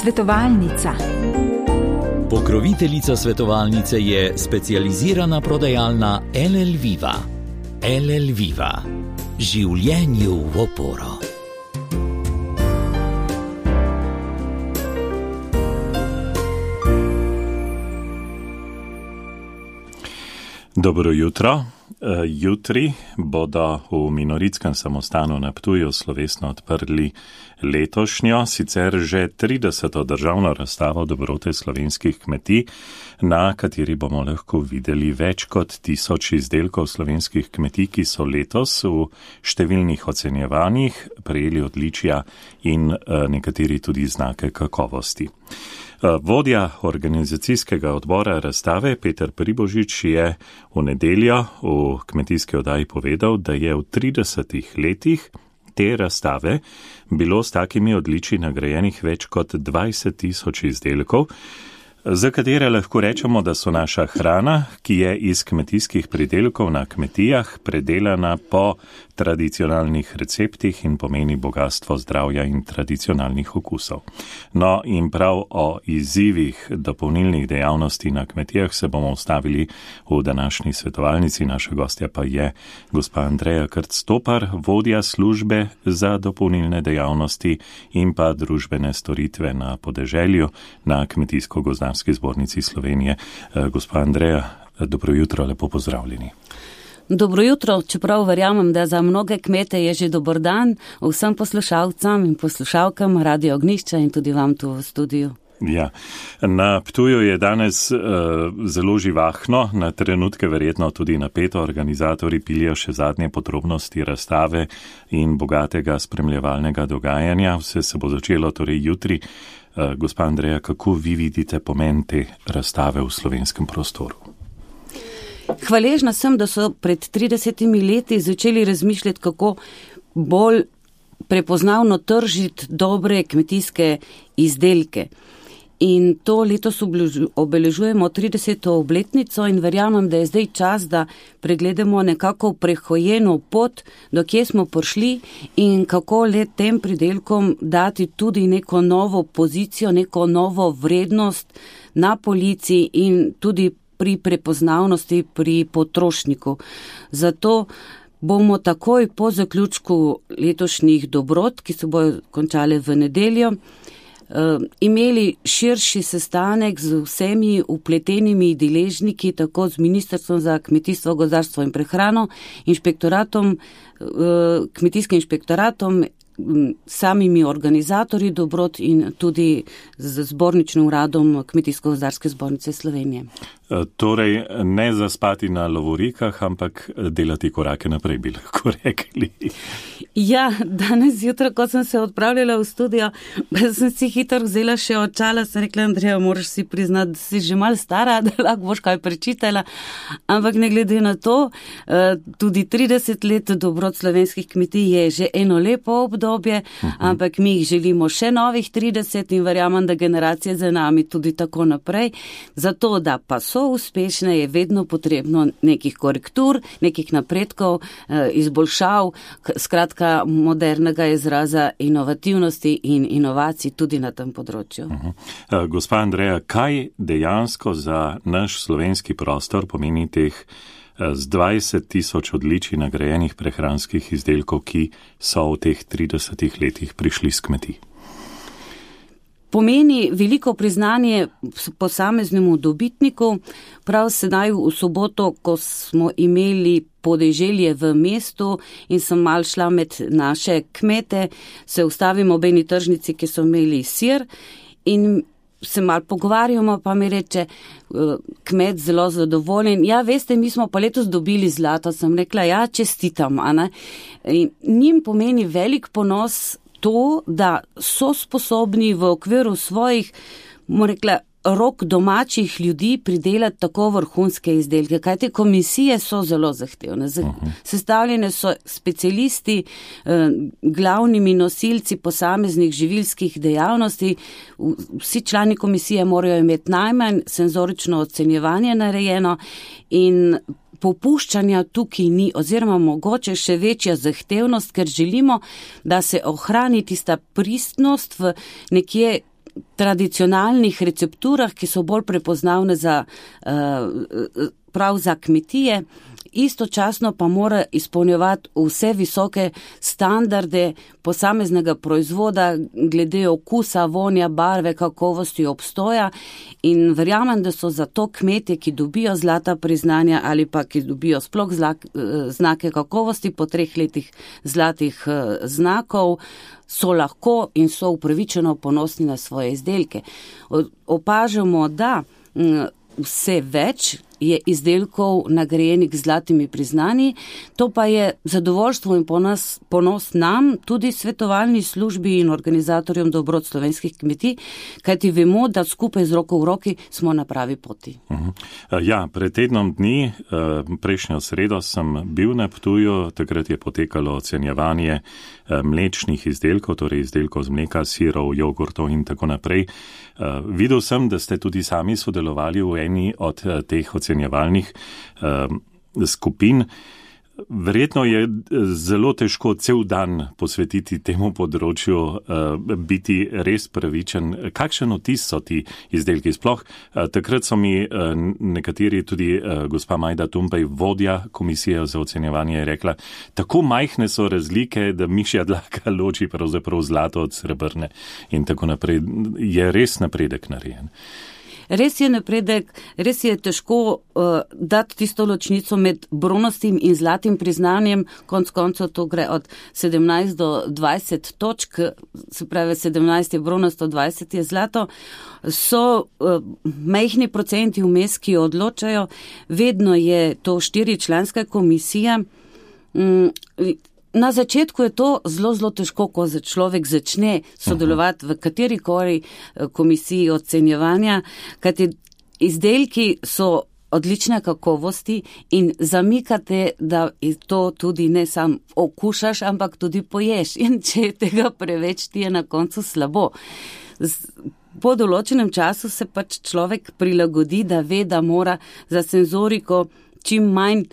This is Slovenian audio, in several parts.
Svetovalnica. Pokroviteljica svetovalnice je specializirana prodajalna LL Viva. LL Viva. Življenju v oporo. Dobro jutro. Jutri bodo v Minoritskem samostanu na Ptuju slovesno odprli letošnjo, sicer že 30. državno razstavo dobrote slovenskih kmetij, na kateri bomo lahko videli več kot 1000 izdelkov slovenskih kmetij, ki so letos v številnih ocenjevanjih prejeli odličja in nekateri tudi znake kakovosti. Vodja organizacijskega odbora razstave Peter Pribožič je v nedeljo v kmetijski oddaji povedal, da je v 30 letih te razstave bilo s takimi odličji nagrajenih več kot 20 000 izdelkov, za katere lahko rečemo, da so naša hrana, ki je iz kmetijskih pridelkov na kmetijah predelana po tradicionalnih receptih in pomeni bogatstvo zdravja in tradicionalnih okusov. No in prav o izzivih dopolnilnih dejavnosti na kmetijah se bomo ustavili v današnji svetovalnici. Naša gostja pa je gospa Andreja Krc-Topar, vodja službe za dopolnilne dejavnosti in pa družbene storitve na podeželju na Kmetijsko-gozdarski zbornici Slovenije. Gospa Andreja, dobro jutro, lepo pozdravljeni. Dobro jutro, čeprav verjamem, da za mnoge kmete je že dober dan, vsem poslušalcem in poslušalkam Radio Ognjišča in tudi vam tu v studiu. Ja, na Ptuju je danes zelo živahno, na trenutke verjetno tudi napeto. Organizatorji pilijo še zadnje podrobnosti razstave in bogatega spremljevalnega dogajanja. Vse se bo začelo torej jutri. Gospa Andreja, kako vi vidite pomen te razstave v slovenskem prostoru? Hvaležna sem, da so pred 30 leti začeli razmišljati, kako bolj prepoznavno tržiti dobre kmetijske izdelke. In to letos obeležujemo 30. obletnico in verjamem, da je zdaj čas, da pregledamo nekako prehojeno pot, do kje smo prišli in kako le tem pridelkom dati tudi neko novo pozicijo, neko novo vrednost na polici in tudi pri prepoznavnosti pri potrošniku. Zato bomo takoj po zaključku letošnjih dobrot, ki se bojo končale v nedeljo, imeli širši sestanek z vsemi vpletenimi deležniki, tako z Ministrstvom za kmetijstvo, gozdarstvo in prehrano, inšpektoratom, kmetijskim inšpektoratom, samimi organizatorji dobrot in tudi z zborničnim uradom Kmetijsko-gozdarske zbornice Slovenije. Torej, ne zaspati na lovorikah, ampak delati korake naprej, bi lahko rekli. Ja, danes jutro, ko sem se odpravljala v studio, sem si hitro vzela še očala, sem rekla, Andreja, moraš si priznati, da si že malo stara, da lahko boš kaj prečitala, ampak ne glede na to, tudi 30 let dobrot slovenskih kmetij je že eno lepo obdobje, ampak mi jih želimo še novih 30 in verjamem, da generacije za nami tudi tako naprej. Zato, da pa so uspešne, je vedno potrebno nekih korektur, nekih napredkov, izboljšav, skratka modernega izraza inovativnosti in inovacij tudi na tem področju. Gospa Andreja, kaj dejansko za naš slovenski prostor pomeni teh z 20 000 odličij nagrajenih prehranskih izdelkov, ki so v teh 30 letih prišli s kmetij? Pomeni veliko priznanje posameznemu dobitniku. Prav sedaj v soboto, ko smo imeli podeželje v mestu in sem mal šla med naše kmete, se ustavimo ob eni tržnici, ki so imeli sir in se mal pogovarjamo, pa mi reče kmet zelo zadovoljen. Ja, veste, mi smo pa letos dobili zlato. Sem rekla, ja, čestitam. In njim pomeni velik ponos to, da so sposobni v okviru svojih, rekla, rok domačih ljudi pridelati tako vrhunske izdelke, kajte komisije so zelo zahtevne. Sestavljene so specialisti, glavnimi nosilci posameznih živilskih dejavnosti. Vsi člani komisije morajo imeti najmanj senzorično ocenjevanje narejeno in popuščanja tukaj ni, oziroma mogoče še večja zahtevnost, ker želimo, da se ohrani tista pristnost v nekje tradicionalnih recepturah, ki so bolj prepoznavne prav za kmetije, istočasno pa mora izpolnjevati vse visoke standarde posameznega proizvoda glede okusa, vonja, barve, kakovosti, obstoja in verjamem, da so zato kmetje, ki dobijo zlata priznanja ali pa ki dobijo sploh znake kakovosti po 3 letih zlatih znakov, so lahko in so upravičeno ponosni na svoje izdelke. Opažamo, da vse več je izdelkov nagrajenih z zlatimi priznanji, to pa je zadovoljstvo in ponos nam, tudi svetovalni službi in organizatorjem dobrot slovenskih kmetij, kajti vemo, da skupaj z roko v roki smo na pravi poti. Ja, pred tednom dni, prejšnjo sredo sem bil na Ptuju, takrat je potekalo ocenjevanje mlečnih izdelkov, torej izdelkov z mleka, sirov, jogurtov in tako naprej. Videl sem, da ste tudi sami sodelovali v eni od teh ocenjevalnih skupin. Verjetno je zelo težko cel dan posvetiti temu področju, biti res pravičen. Kakšen vtis so ti izdelki? Sploh takrat so mi nekateri, tudi gospa Majda Tumpej, vodja komisije za ocenjevanje, je rekla, tako majhne so razlike, da mišja dlaka loči pravzaprav zlato od srebrne in tako naprej. Je res napredek narejen. Res je napredek, res je težko dati tisto ločnico med bronastim in zlatim priznanjem, konc koncev to gre od 17 do 20 točk, se pravi 17 je bronasto, 20 je zlato, so majhni procenti vmes, ki odločajo, vedno je to 4-članska komisija. Na začetku je to zelo težko, ko človek začne sodelovati v katerikoli komisiji ocenjevanja, kajti izdelki so odlične kakovosti in zamikate, da to tudi ne sam okušaš, ampak tudi poješ. In če tega preveč, ti je na koncu slabo. Po določenem času se pač človek prilagodi, da ve, da mora za senzoriko čim manj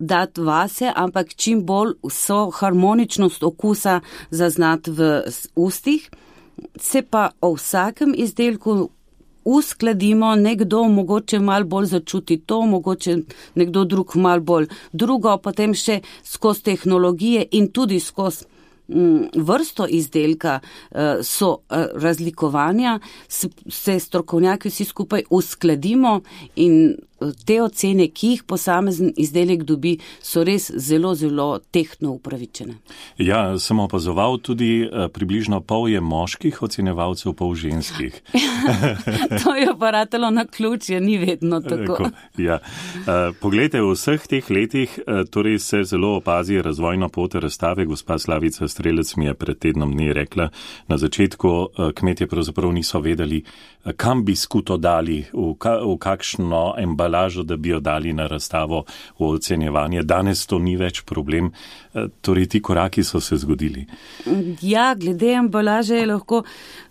dati vase, ampak čim bolj vso harmoničnost okusa zaznati v ustih. Se pa o vsakem izdelku uskladimo, nekdo mogoče malo bolj začuti to, mogoče nekdo drug malo bolj drugo, potem še skozi tehnologije in tudi skozi vrsto izdelka so razlikovanja, se strokovnjaki vsi skupaj uskladimo in te ocene, ki jih posamezen izdelek dobi, so res zelo tehtno upravičene. Ja, sem opazoval tudi približno pol je moških ocenevalcev, pol ženskih. To je pa ratalo na ključje, ni vedno tako. Ja. Poglejte, v vseh teh letih torej se zelo opazi razvojno pot razstave. Gospa Slavica Strelec mi je pred tednom dni rekla, na začetku kmetje pravzaprav niso vedeli, kam bi skuto dali, v kakšno embalažo, da bi jo dali na razstavo v ocenjevanje. Danes to ni več problem, torej ti koraki so se zgodili. Ja, glede embalaže je lahko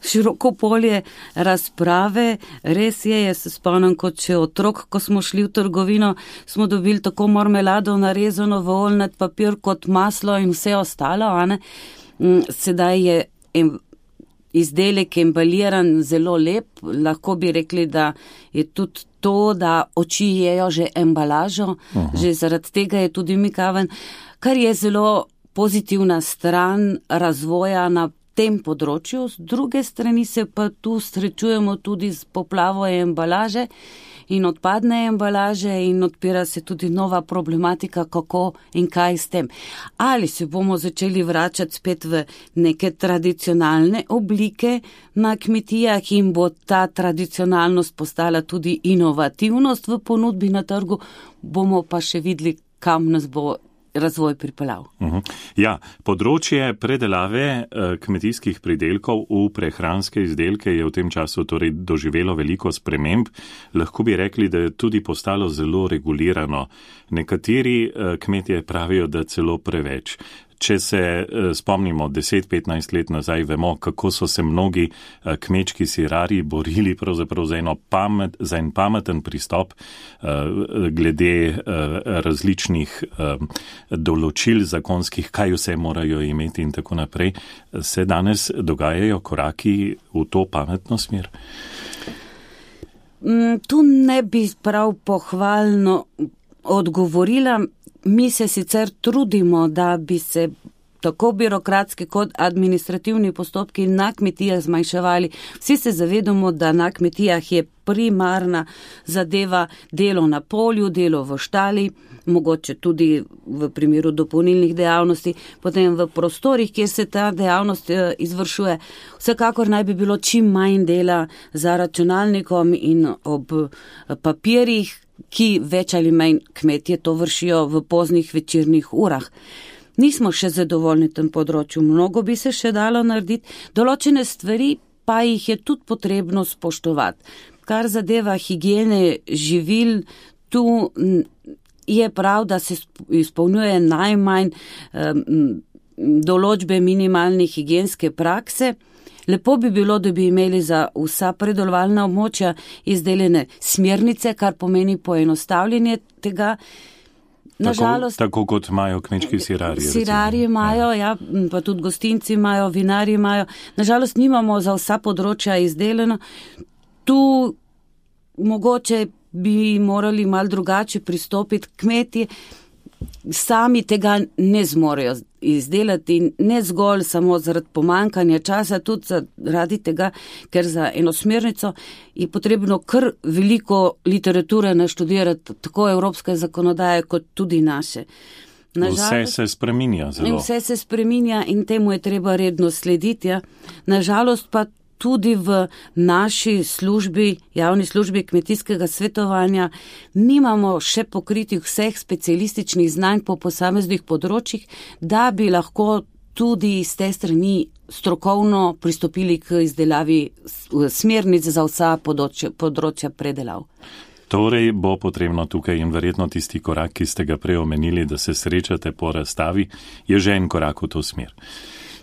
široko polje razprave. Res je, jaz se spomnim kot še otrok, ko smo šli v trgovino, smo dobili tako marmelado narezano v oljnat papir kot maslo in vse ostalo, a ne? Sedaj je izdelek embaliran zelo lep, lahko bi rekli, da je tudi to, da oči jejo že embalažo, že zaradi tega je tudi mikaven, kar je zelo pozitivna stran razvoja na tem področju. Z druge strani se pa tu srečujemo tudi z poplavo embalaže in odpadne embalaže in odpira se tudi nova problematika, kako in kaj s tem. Ali se bomo začeli vračati spet v neke tradicionalne oblike na kmetijah in bo ta tradicionalnost postala tudi inovativnost v ponudbi na trgu, bomo pa še videli, kam nas bo razvoj pripeljal. Ja, področje predelave kmetijskih pridelkov v prehranske izdelke je v tem času torej doživelo veliko sprememb. Lahko bi rekli, da je tudi postalo zelo regulirano. Nekateri kmetje pravijo, da celo preveč. Če se spomnimo 10-15 let nazaj, vemo, kako so se mnogi kmečki sirarji borili pravzaprav za en pameten pristop glede različnih določil zakonskih, kaj vse morajo imeti in tako naprej. Se danes dogajajo koraki v to pametno smer? Tu ne bi prav pohvalno odgovorila. Mi se sicer trudimo, da bi se tako birokratski kot administrativni postopki na kmetijah zmanjševali. Vsi se zavedamo, da na kmetijah je primarna zadeva delo na polju, delo v štali, mogoče tudi v primeru dopolnilnih dejavnosti, potem v prostorih, kjer se ta dejavnost izvršuje. Vsekakor naj bi bilo čim manj dela za računalnikom in ob papirjih, ki več ali manj kmetje to vršijo v poznih večernih urah. Nismo še zadovoljni v tem področju, mnogo bi se še dalo narediti, določene stvari pa jih je tudi potrebno spoštovati. Kar zadeva higiene živil, tu je prav, da se izpolnjuje najmanj določbe minimalne higienske prakse. Lepo bi bilo, da bi imeli za vsa predelovalna območja izdelane smernice, kar pomeni poenostavljanje tega. Nažalost, tako kot imajo kmečki sirarji. Sirarji imajo, ja, pa tudi gostinci imajo, vinarji imajo. Nažalost, nimamo za vsa področja izdelano. Tu mogoče bi morali malo drugače pristopiti. Kmetje sami tega ne zmorejo izdelati, ne zgolj samo zaradi pomankanja časa, tudi zaradi tega, ker za eno smernico je potrebno kar veliko literature naštudirati, tako evropske zakonodaje kot tudi naše. Vse se spreminja zelo. Vse se spreminja in temu je treba redno slediti. Ja. Nažalost pa tudi v naši službi, javni službi kmetijskega svetovanja, nimamo še pokritih vseh specialističnih znanj po posameznih področjih, da bi lahko tudi iz te strani strokovno pristopili k izdelavi smernic za vsa področja predelav. Torej bo potrebno tukaj in verjetno tisti korak, ki ste ga prej omenili, da se srečate po razstavi, je že en korak v to smer.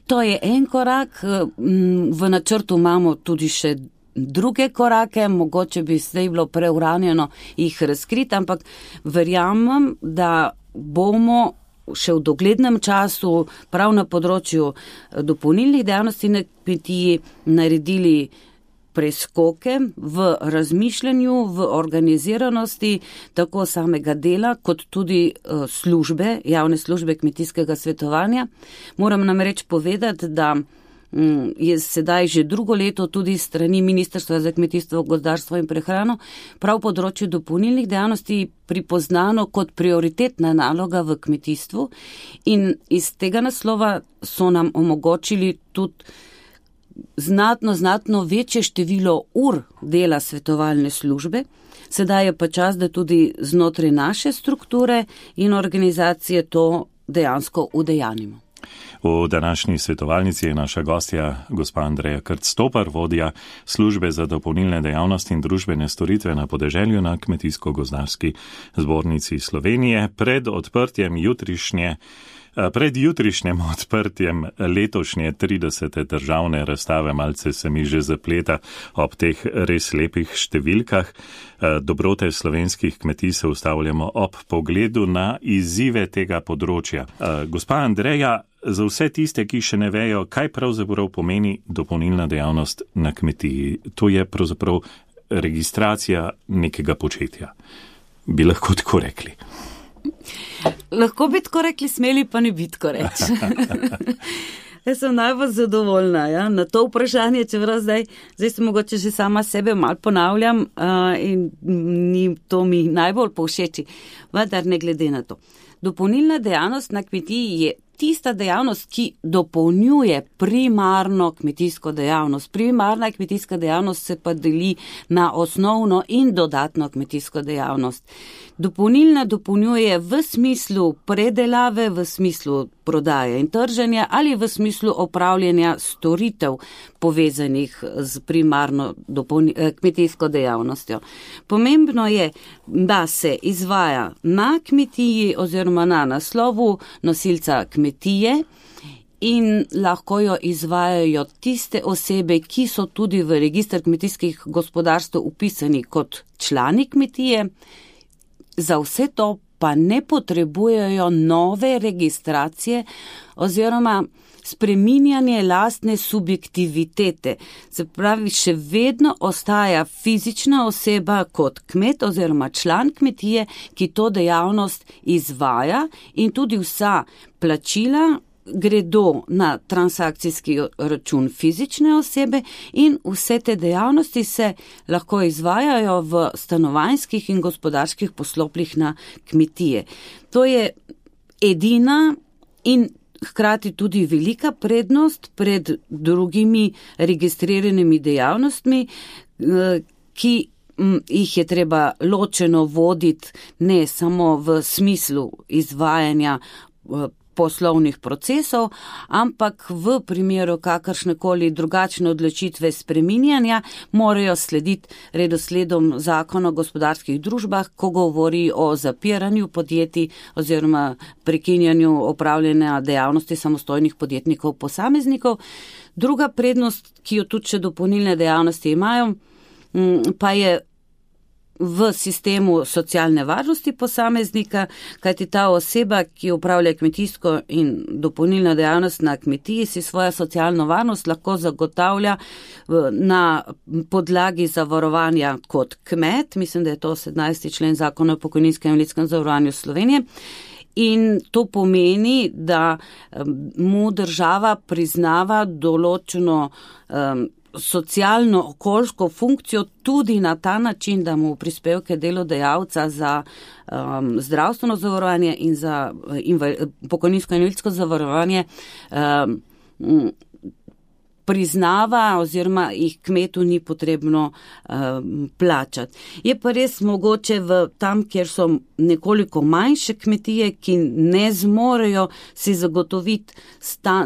To je en korak, v načrtu imamo tudi še druge korake, mogoče bi zdaj bilo preuranjeno jih razkriti, ampak verjamem, da bomo še v doglednem času prav na področju dopolnilnih dejavnosti na kmetiji naredili preskoke v razmišljanju, v organiziranosti tako samega dela, kot tudi službe, javne službe kmetijskega svetovanja. Moram namreč povedati, da je sedaj že drugo leto tudi strani Ministrstva za kmetijstvo, gozdarstvo in prehrano prav področju dopolnilnih dejavnosti pripoznano kot prioritetna naloga v kmetijstvu in iz tega naslova so nam omogočili tudi znatno večje število ur dela svetovalne službe. Sedaj je pa čas, da tudi znotraj naše strukture in organizacije to dejansko udejanimo. V današnji svetovalnici je naša gostja gospa Andreja Krc-Stopar, vodja službe za dopolnilne dejavnosti in družbene storitve na podeželju na Kmetijsko-gozdarski zbornici Slovenije. Pred jutrišnjem odprtjem letošnje 30. državne razstave, malce se mi že zapleta ob teh res lepih številkah, dobrote slovenskih kmetij se ustavljamo ob pogledu na izzive tega področja. Gospa Andreja, za vse tiste, ki še ne vejo, kaj pravzaprav pomeni dopolnilna dejavnost na kmetiji, to je pravzaprav registracija nekega početja. Bi lahko tako rekli? Lahko bi tako rekli, smeli pa ne bi tako reči. Jaz sem najbolj zadovoljna, ja, na to vprašanje, čeprav zdaj se mogoče že sama sebe malo ponavljam in ni to mi najbolj povšeči, vendar ne glede na to. Dopolnilna dejavnost na kmetiji je tista dejavnost, ki dopolnjuje primarno kmetijsko dejavnost. Primarna kmetijska dejavnost se pa deli na osnovno in dodatno kmetijsko dejavnost. Dopolnilna dopolnjuje v smislu predelave, v smislu prodaje in trženja ali v smislu opravljanja storitev povezanih z primarno kmetijsko dejavnostjo. Pomembno je, da se izvaja na kmetiji oziroma na naslovu nosilca kmetije kmetije in lahko jo izvajajo tiste osebe, ki so tudi v registr kmetijskih gospodarstv upisani kot člani kmetije. Za vse to pa ne potrebujejo nove registracije oziroma spreminjanje lastne subjektivitete. Se pravi, še vedno ostaja fizična oseba kot kmet oziroma član kmetije, ki to dejavnost izvaja in tudi vsa plačila gredo na transakcijski račun fizične osebe in vse te dejavnosti se lahko izvajajo v stanovanjskih in gospodarskih poslopljih na kmetije. To je edina in hkrati tudi velika prednost pred drugimi registriranimi dejavnostmi, ki jih je treba ločeno voditi ne samo v smislu izvajanja poslovnih procesov, ampak v primeru kakršnekoli drugačne odločitve spreminjanja morajo slediti redosledom zakona o gospodarskih družbah, ko govori o zapiranju podjetij oziroma prekinjanju opravljanja dejavnosti samostojnih podjetnikov posameznikov. Druga prednost, ki jo tudi še dopolnilne dejavnosti imajo, pa je v sistemu socialne varnosti posameznika, kajti ta oseba, ki upravlja kmetijsko in dopolnilno dejavnost na kmetiji, si svojo socialno varnost lahko zagotavlja na podlagi zavarovanja kot kmet. Mislim, da je to 17. člen zakona o pokojninskem in invalidskem zavarovanju Slovenije. In to pomeni, da mu država priznava določeno socialno-okoljsko funkcijo tudi na ta način, da mu prispevke delodajalca za zdravstveno zavarovanje in za pokojninsko in invalidsko zavarovanje priznava oziroma jih kmetu ni potrebno plačati. Je pa res mogoče tam, kjer so nekoliko manjše kmetije, ki ne zmorejo si zagotoviti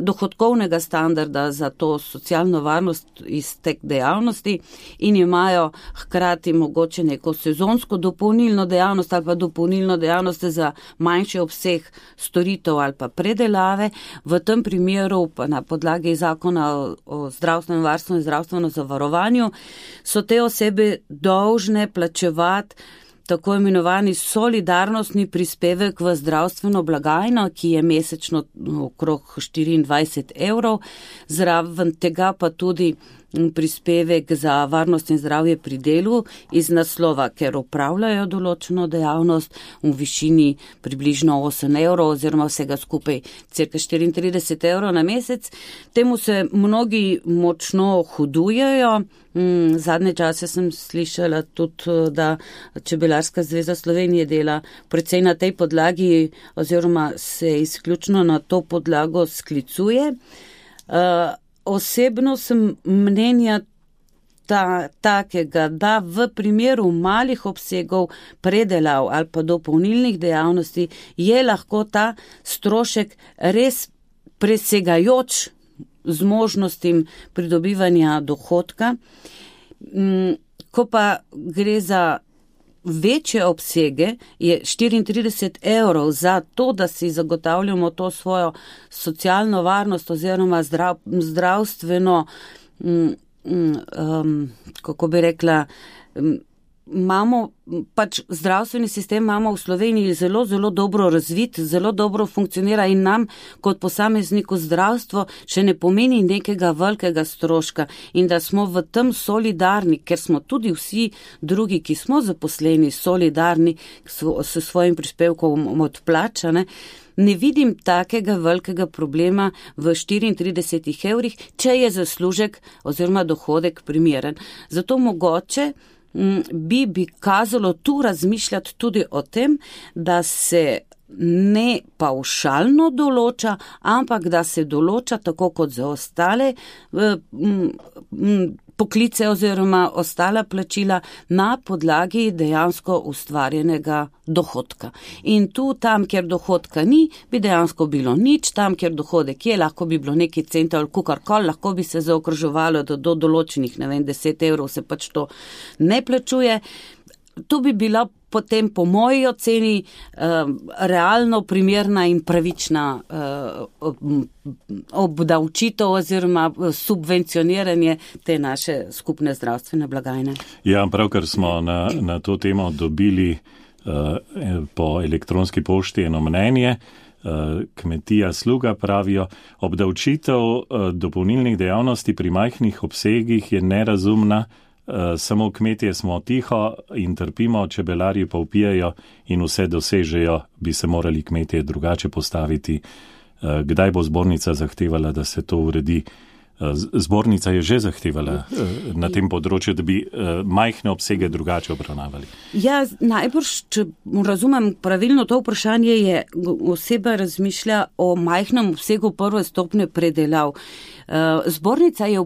dohodkovnega standarda za to socialno varnost iz teh dejavnosti in imajo hkrati mogoče neko sezonsko dopolnilno dejavnost ali pa dopolnilno dejavnost za manjši obseg storitev ali pa predelave. V tem primeru pa na podlagi zakona o zdravstvenem varstvu in zdravstveno zavarovanju so te osebe dolžne plačevati tako imenovani solidarnostni prispevek v zdravstveno blagajno, ki je mesečno okrog 24 €, zraven tega pa tudi prispevek za varnost in zdravje pri delu iz naslova, ker upravljajo določeno dejavnost v višini približno 8 € oziroma vsega skupaj cirka 34 € na mesec. Temu se mnogi močno hudujejo. Zadnje čase sem slišala tudi, da Čebelarska zveza Slovenije dela precej na tej podlagi oziroma se izključno na to podlago sklicuje. Osebno sem mnenja takega, da v primeru malih obsegov predelav ali pa dopolnilnih dejavnosti je lahko ta strošek res presegajoč z možnostim pridobivanja dohodka. Ko pa gre za večje obsege, je 34 € za to, da si zagotavljamo to svojo socialno varnost oziroma zdravstveno, kako bi rekla, imamo pač zdravstveni sistem imamo v Sloveniji zelo, zelo dobro razvit, zelo dobro funkcionira in nam kot posamezniku zdravstvo še ne pomeni nekega velikega stroška in da smo v tem solidarni, ker smo tudi vsi drugi, ki smo zaposleni, solidarni s svojim prispevkom odplačane. Ne vidim takega velikega problema v 34 €, če je zaslužek oziroma dohodek primeren. Zato mogoče bi kazalo tu razmišljati tudi o tem, da se ne pavšalno določa, ampak da se določa tako kot za ostale poklice oziroma ostala plačila na podlagi dejansko ustvarjenega dohodka. In tu, tam, kjer dohodka ni, bi dejansko bilo nič, tam, kjer dohodek je, lahko bi bilo neki cent ali kukarkoli, lahko bi se zaokroževalo do določenih, 10 € se pač to ne plačuje. To bi bila potem po moji oceni realno primerna in pravična obdavčitev oziroma subvencioniranje te naše skupne zdravstvene blagajne. Ja, pravkar smo na to temo dobili po elektronski pošti eno mnenje. Kmetija Sluga pravijo, obdavčitev dopolnilnih dejavnosti pri majhnih obsegih je nerazumna, samo kmetje smo tiho in trpimo, čebelarji pa vpijajo in vse dosežejo, bi se morali kmetje drugače postaviti. Kdaj bo zbornica zahtevala, da se to uredi? Zbornica je že zahtevala na tem področju, da bi majhne obsege drugače obravnavali. Ja, najbrž, če razumem pravilno to vprašanje, je oseba razmišlja o majhnem obsegu prve stopnje predelav. Zbornica je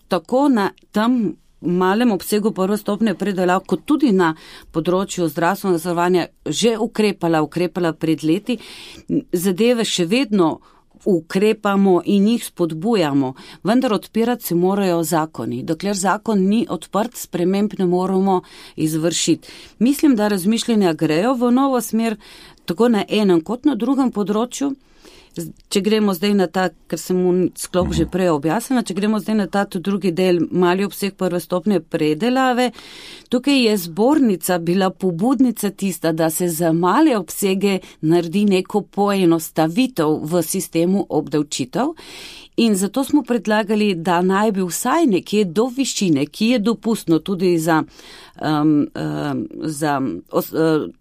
tako na tem malem obsegu prve stopnje predelav, kot tudi na področju zdravstvenega zavarovanja že ukrepala pred leti. Zadeve še vedno ukrepamo in jih spodbujamo, vendar odpirati se morajo zakoni. Dokler zakon ni odprt, sprememb ne moramo izvršiti. Mislim, da razmišljanja grejo v novo smer, tako na enem kot na drugem področju. Če gremo zdaj na ta, ker sem mu sklop že prej objasnila, če gremo zdaj na ta drugi del, mali obseg prve stopnje predelave, tukaj je zbornica bila pobudnica tista, da se za male obsege naredi neko poenostavitev v sistemu obdavčitev. In zato smo predlagali, da naj bi vsaj nekje do višine, ki je dopustno tudi za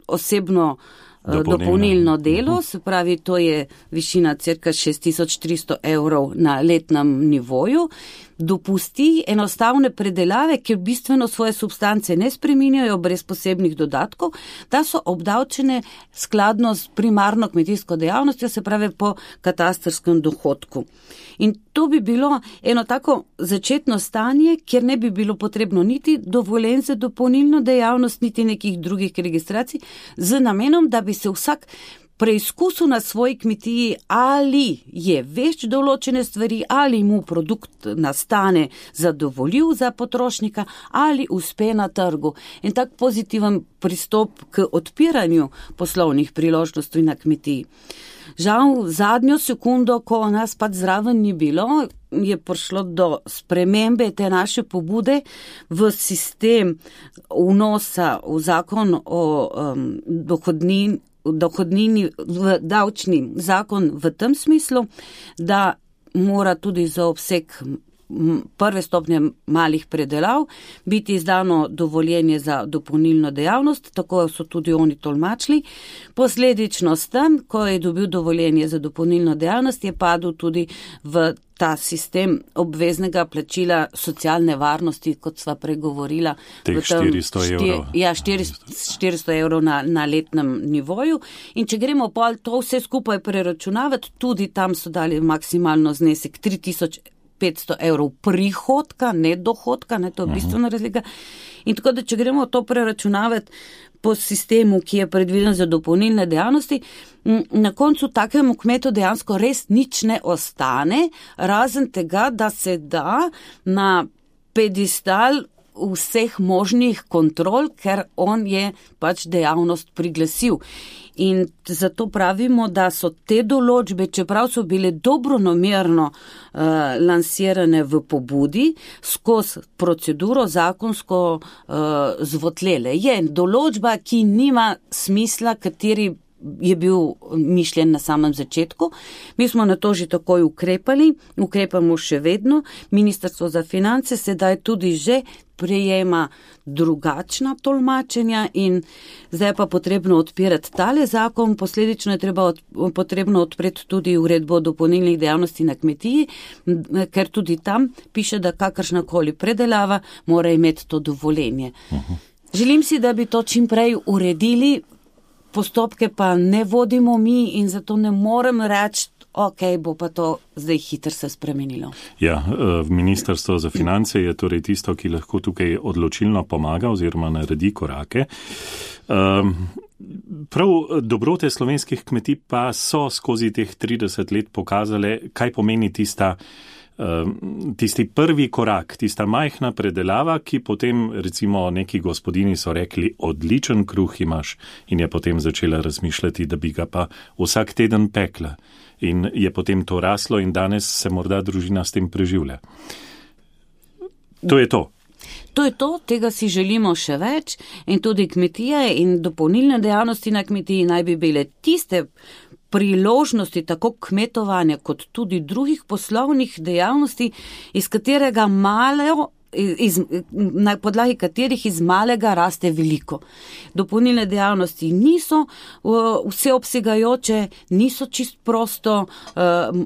osebno dopolnilno delo, se pravi, to je višina cirka 6300 evrov na letnem nivoju, dopusti enostavne predelave, ki bistveno svoje substance ne spreminjajo brez posebnih dodatkov, da so obdavčene skladno s primarno kmetijsko dejavnostjo, se pravi po katastrskem dohodku. In to bi bilo eno tako začetno stanje, kjer ne bi bilo potrebno niti dovoljenj za dopolnilno dejavnost, niti nekih drugih registracij, z namenom, da bi se vsak preizkusil na svoji kmetiji, ali je več določene stvari, ali mu produkt nastane zadovoljiv za potrošnika, ali uspe na trgu. In tak pozitiven pristop k odpiranju poslovnih priložnosti na kmetiji. Žal, zadnjo sekundo, ko nas pač zraven ni bilo, je prišlo do spremembe te naše pobude v sistem vnosa v zakon o dohodnini, v davčni zakon v tem smislu, da mora tudi za obseg prve stopnje malih predelav biti izdano dovoljenje za dopolnilno dejavnost, tako so tudi oni tolmačili. Posledično s tem, ko je dobil dovoljenje za dopolnilno dejavnost, je padel tudi v ta sistem obveznega plačila socialne varnosti, kot sva pregovorila. Teh 400 evrov. Ja, 400 evrov na letnem nivoju. In če gremo pa to vse skupaj preračunavati, tudi tam so dali maksimalno znesek 3500 evrov prihodka, ne dohodka, ne, to je bistvena razlika. In tako da, če gremo to preračunavati po sistemu, ki je predviden za dopolnilne dejavnosti, na koncu takemu kmetu dejansko res nič ne ostane, razen tega, da se da na pedestal vseh možnih kontrol, ker on je pač dejavnost priglasil. In zato pravimo, da so te določbe, čeprav so bile dobronamerno lansirane v pobudi, skozi proceduro zakonsko zvotlele. Je določba, ki nima smisla, kateri je bil mišljen na samem začetku. Mi smo na to že takoj ukrepali, ukrepamo še vedno. Ministrstvo za finance sedaj tudi že prejema drugačna tolmačenja in zdaj pa potrebno odpirati tale zakon, posledično je potrebno odpreti tudi uredbo dopolnilnih dejavnosti na kmetiji, ker tudi tam piše, da kakršnakoli predelava mora imeti to dovoljenje. Želim si, da bi to čim prej uredili, postopke pa ne vodimo mi in zato ne morem reči, ok, bo pa to zdaj hitro se spremenilo. Ja, Ministrstvo za finance je torej tisto, ki lahko tukaj odločilno pomaga oziroma naredi korake. Prav dobrote slovenskih kmetij pa so skozi teh 30 let pokazale, kaj pomeni tista tisti prvi korak, tista majhna predelava, ki potem recimo neki gospodini so rekli, odličen kruh imaš in je potem začela razmišljati, da bi ga pa vsak teden pekla. In je potem to raslo in danes se morda družina s tem preživlja. To je to. To je to, tega si želimo še več in tudi kmetije in dopolnilne dejavnosti na kmetiji naj bi bile tiste priložnosti tako kmetovanja kot tudi drugih poslovnih dejavnosti, iz katerega na podlagi katerih iz malega raste veliko. Dopolnilne dejavnosti niso vseobsegajoče, niso čist prosto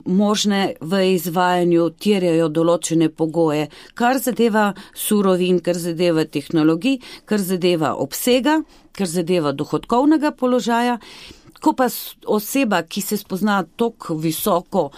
možne v izvajanju, terjajo določene pogoje, kar zadeva surovin, kar zadeva tehnologij, kar zadeva obsega, kar zadeva dohodkovnega položaja. Ko pa oseba, ki se spozna tako visoko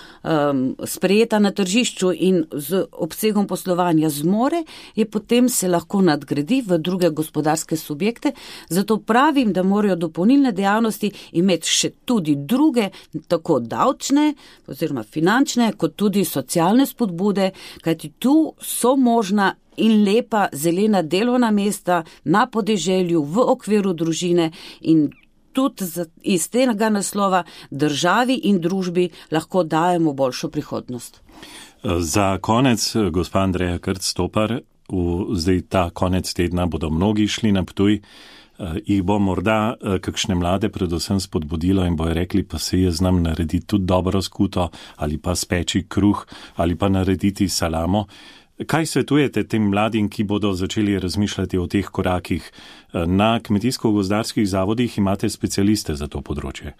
sprejeta na tržišču in z obsegom poslovanja zmore, je potem se lahko nadgradi v druge gospodarske subjekte. Zato pravim, da morajo dopolnilne dejavnosti imeti še tudi druge, tako davčne oziroma finančne, kot tudi socialne spodbude, kajti tu so možna in lepa zelena delovna mesta na podeželju v okviru družine in tudi iz tega naslova državi in družbi lahko dajemo boljšo prihodnost. Za konec, gospa Andreja Krc-Stopar, zdaj ta konec tedna bodo mnogi šli na Ptuj, jih bo morda kakšne mlade predvsem spodbudilo in bojo rekli, pa se jaz znam narediti tudi dobro skuto ali pa speči kruh ali pa narediti salamo. Kaj svetujete tem mladim, ki bodo začeli razmišljati o teh korakih? Na kmetijsko-gozdarskih zavodih imate specialiste za to področje.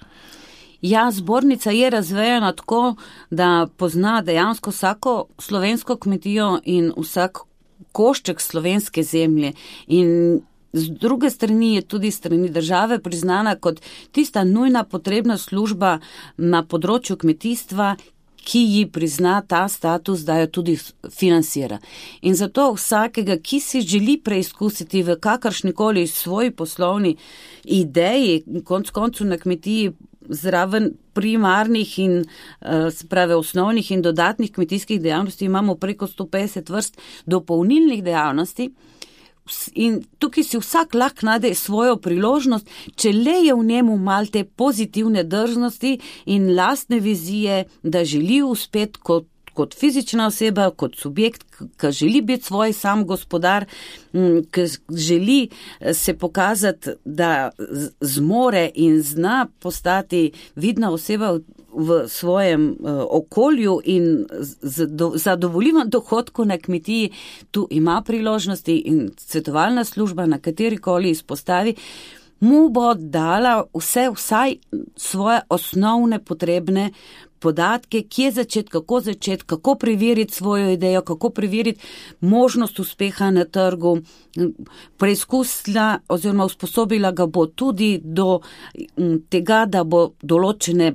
Ja, zbornica je razvejena tako, da pozna dejansko vsako slovensko kmetijo in vsak košček slovenske zemlje. In z druge strani je tudi strani države priznana kot tista nujna potrebna služba na področju kmetijstva, ki ji prizna ta status, da jo tudi financira. In zato vsakega, ki si želi preizkusiti v kakršnikoli svoji poslovni ideji, konec koncu na kmetiji zraven primarnih in sprave osnovnih in dodatnih kmetijskih dejavnosti imamo preko 150 vrst dopolnilnih dejavnosti. In tukaj si vsak lahko najde svojo priložnost, če le je v njemu mal te pozitivne drznosti in lastne vizije, da želi uspeti kot fizična oseba, kot subjekt, ki želi biti svoj sam gospodar, ki želi se pokazati, da zmore in zna postati vidna oseba v svojem okolju in zadovoljivem dohodku na kmetiji, tu ima priložnosti in svetovalna služba na katerikoli izpostavi, mu bo dala vsaj svoje osnovne potrebne podatke, kje začeti, kako preveriti svojo idejo, kako preveriti možnost uspeha na trgu, preizkusila oziroma usposobila ga bo tudi do tega, da bo določene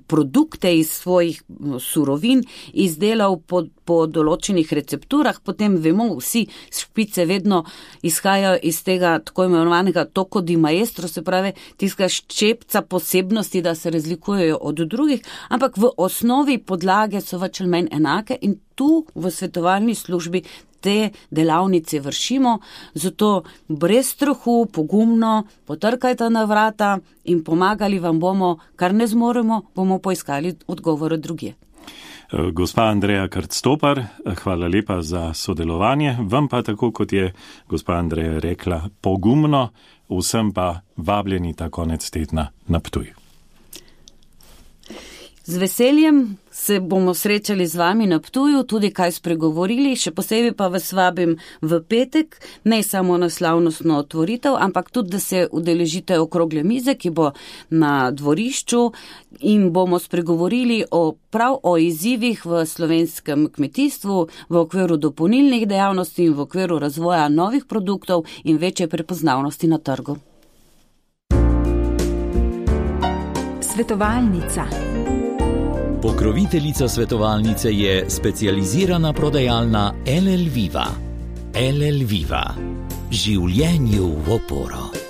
produkte iz svojih surovin izdelal po določenih recepturah, potem vemo vsi, špice vedno izhajajo iz tega tako imenovanega tocco di maestro, se pravi tistega ščepca posebnosti, da se razlikujejo od drugih, ampak v osnovi podlage so več ali manj enake in tu v svetovalni službi te delavnice vršimo, zato brez strahu, pogumno potrkajte na vrata in pomagali vam bomo, kar ne zmoremo, bomo poiskali odgovore drugje. Gospa Andreja Krc-Stopar, hvala lepa za sodelovanje, vam pa tako, kot je gospa Andreja rekla, pogumno, vsem pa vabljeni ta konec tedna na Ptuj. Z veseljem se bomo srečali z vami na Ptuju, tudi kaj spregovorili, še posebej pa vas vabim v petek, ne samo na slavnostno otvoritev, ampak tudi, da se udeležite okrogle mize, ki bo na dvorišču in bomo spregovorili prav o izzivih v slovenskem kmetijstvu, v okviru dopolnilnih dejavnosti in v okviru razvoja novih produktov in večje prepoznavnosti na trgu. Svetovalnica. Pokroviteljica svetovalnice je specializirana prodajalna LL Viva. LL Viva. Življenju v oporo.